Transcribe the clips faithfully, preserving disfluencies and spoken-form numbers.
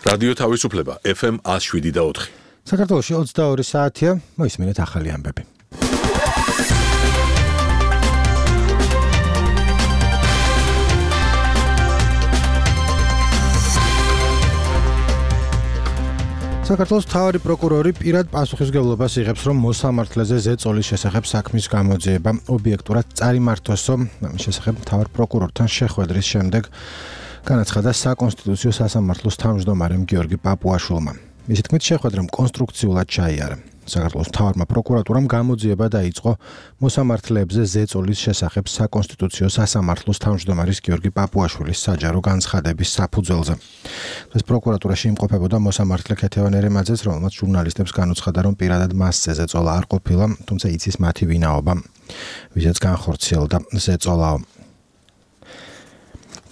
რადიო თავისუფლება ეფ ემ ათს შვიდი და ოთხი. საქართველოში ოცდაორი საათია, მოისმინეთ ახალი ამბები. საქართველოს მთავარი პროკურორი პირად პასუხისმგებლობას იღებს, რომ მოსამართლეზე ზეწოლის შესახებ საქმის გამოძიება ობიექტურად წარიმართვასო. ამის შესახებ მთავარ პროკურორთან შეხვედრის შემდეგ განაცხადა საკონსტიტუციო სასამართლოს თავმჯდომარემ გიორგი პაპუაშვილმა. მისი თქმით, შეხვედრამ კონსტრუქციულად ჩაიარა. საქართველოს მთავარმა პროკურატურამ გამოძიება დაიწყო მოსამართლეებზე ზეწოლის შესახებ საკონსტიტუციო სასამართლოს თავმჯდომარის გიორგი პაპუაშვილის საჯარო განცხადების საფუძველზე. ეს პროკურატურაში იმყოფებოდა მოსამართლე ქეთევან ერემაძეც, რომელმაც ჟურნალისტებს განუცხადა, რომ პირადად მასზე ზეწოლა არ ყოფილა, თუმცა იცის მათი ვინაობა, ვისაც განხორციელდა ზეწოლაო.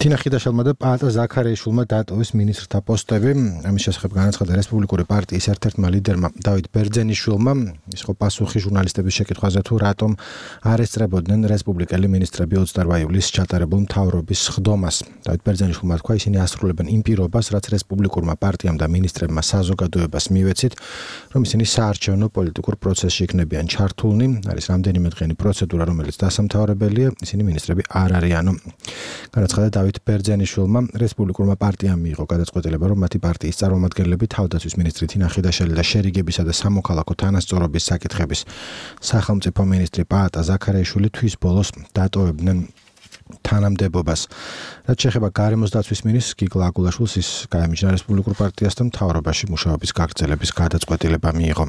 თინა ხიდაშელმა და პაატა ზაქარიაშვილმა დატოვეს მინისტრთა პოსტები. ამის შესახებ განაცხადა რესპუბლიკური პარტიის ერთ-ერთმა ლიდერმა დავით ბერძენიშვილმა. ის ხო პასუხი ჟურნალისტების შეკითხვაზე თუ რატომ არ ესწრებოდნენ რესპუბლიკელი მინისტრები ოცდაორი ივლისს ჩატარებულ მთავრობის სხდომას. დავით ბერძენიშვილმა თქვა, ისინი ასრულებენ იმ პირობას, რაც რესპუბლიკურმა პარტიამ და მინისტრებმა საზოგადოებას მივეცით, რომ ისინი საარჩევნო პოლიტიკურ პროცესში იქნებიან ჩართულნი. არის რამდენიმე დღიანი პროცედურა, რომელიც დასამთავრებელია, ისინი მინისტრები არ არიანო. განაცხადა დავით ბერძენიშვილმა, რესპუბლიკურმა პარტიამ მიიღო გადაწყვეტილება, რომ მათი პარტიის წარმომადგენლები თავდაცვის მინისტრი თინა ხიდაშელი და შერიგებისა და სამოქალაქო თანასწორობის საკითხების სახელმწიფო მინისტრი პაატა ზაქარიაშვილი თვის ბოლოს დატოვებდნენ თანამდებობას. რაც შეეხება გარემოს დაცვის მინისტრს გიგლა აგულაშვილს, ის გაემიჯნა რესპუბლიკურ პარტიასთან მთავრობაში მუშაობის გაგრძელების გადაწყვეტილება მიიღო.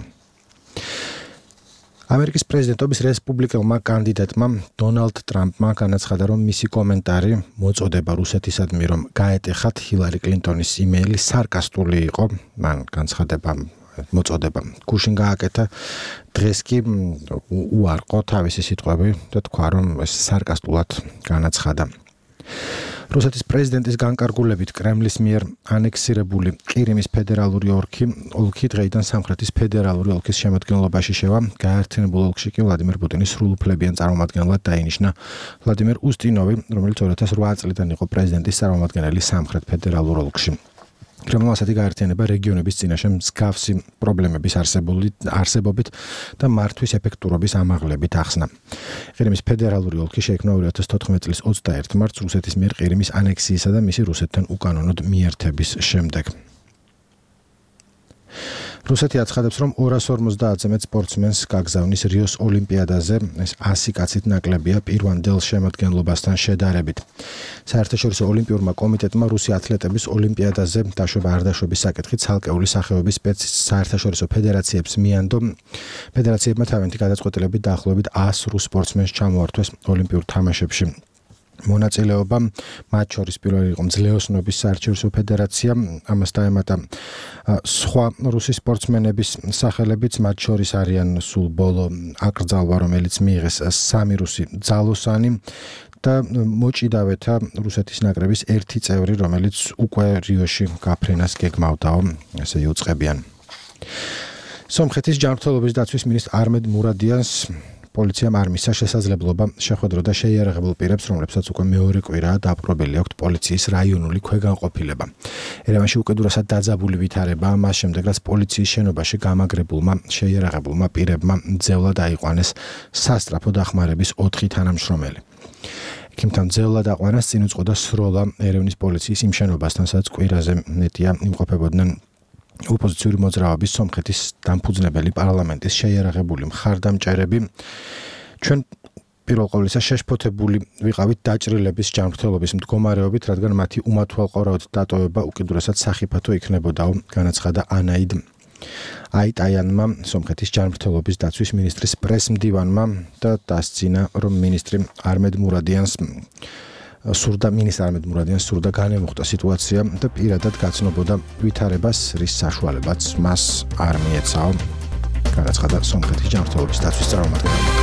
ამერიკის პრეზიდენტობის რესპუბლიკელმა კანდიდატმა დონალდ ტრამპმა განაცხადა, რომ მისი კომენტარი მოწოდება რუსეთისადმი, რომ გაეტეხათ ჰილარი კლინტონის იმეილი სარკასტული იყო. მან განცხადება მოწოდება გუშინ გააკეთა, დღეს კი უარყო თავისი სიტყვები და თქვა, რომ ეს სარკასტულად განაცხადა. რუსეთის პრეზიდენტის განკარგულებით კრემლის მიერ ანექსირებული ყირიმის ფედერალური ოლქი ოლქი დღეიდან სამხრეთის ფედერალური ოლქის შემადგენლობაში შევა. გაერთიანებულ ოლქში კი ვლადიმერ პუტინის სრულუფლებიან წარმომადგენლად დაინიშნა ვლადიმერ უსტინოვი, რომელიც ორი ათას ოთხ წლიდან იყო პრეზიდენტის წარმომადგენელი სამხრეთ ფედერალურ ოლქში. კრემლმა ასეთი გაერთიანება რეგიონების წინაშე მსგავსი პრობლემების არსებობით და მართვის ეფექტურობის ამაღლებით ახსნა. ყირიმის ფედერალური ოლქი შეიქმნა ორი ათას თოთხმეტი წლის ოცდაერთი მარტს რუსეთის მიერ ყირიმის ანექსიისა და მისი რუსეთთან უკანონოდ მიერთების შემდეგ. რუსეთი აცხადებს, რომ ორას ორმოცდაათზე მეტ სპორტსმენს გაგზავნის რიოს ოლიმპიადაზე. ეს ასი კაცით ნაკლებია პირვანდელ შემადგენლობასთან შედარებით. საერთაშორისო ოლიმპიურმა კომიტეტმა რუსი ათლეტების ოლიმპიადაზე დაშვება არ დაშვების საკითხი ცალკეული სახეობის საერთაშორისო ფედერაციებს მიანდო. ფედერაციებმა თავიანთი გადაწყვეტილებით დაახლოებით ას რუს სპორტსმენს ჩამოართვეს ოლიმპიურ თამაშებში. მონაწილეობა მათ შორის პირველი იყო მძლეოსნობის საერთაშორისო ფედერაცია, ამას დაემატა სხვა რუსი სპორტსმენების სახელებიც, მათ შორის არიან სულ ბოლო აკრძალვა, რომელიც მიიღეს სამი რუსი ძალოსანი და მოჭიდავეთა რუსეთის ნაკრების ერთი წევრი, რომელიც უკვე რიოში გაფრენას გეგმავდაო, ესე იუწყებიან. სომხეთის ჯანმრთელობის დაცვის მინისტრ არმედ მურადიანს პოლიციამ არ მისცა შესაძლებლობა შეხვედროდა შეიარაღებულ პირებს, რომლებსაც უკვე მეორე კვირაა დაპყრობილი აქვთ პოლიციის რაიონული ქვეგანყოფილება. ერევანში უკიდურესად დაძაბული ვითარება, მას შემდეგ რაც პოლიციის შენობაში გამაგრებულმა შეიარაღებულმა პირებმა ძევლად აიყვანეს სასტრაფო დახმარების ოთხი თანამშრომელი. იქიმთან ძევლად აყვანას წინ უძღოდა სროლა ერევნის პოლიციის იმ შენობასთან, სადაც კვირაზე მეტია იმყოფებოდნენ ოპოზიციური მოძრაობის სომხეთის დამფუძნებელი პარლამენტის შეიარაღებული მხარდამჭერები. ჩვენ პირველ ყოვლისა შეშფოთებული ვიყავით დაჭრილების ჯანმრთელობის მდგომარეობით, რადგან მათი უმათვალყურავად დატოვება უკიდურესად სახიფათო იქნებოდაო, განაცხადა ანაიდ აიტაიანმა, სომხეთის ჯანმრთელობის დაცვის მინისტრის პრეს-მდივანმა და დასძინა, რომ მინისტრი არმედ მურადიანს სურდა მინისტრ არმედ მურადიანს სურდა განემუხტა სიტუაცია და პირადად გაცნობოდა ვითარებას, რის საშუალებაც მას არ მიეცაო, განაცხადა სომხეთის ჯანმრთელობის დაცვის წარმომადგენელმა.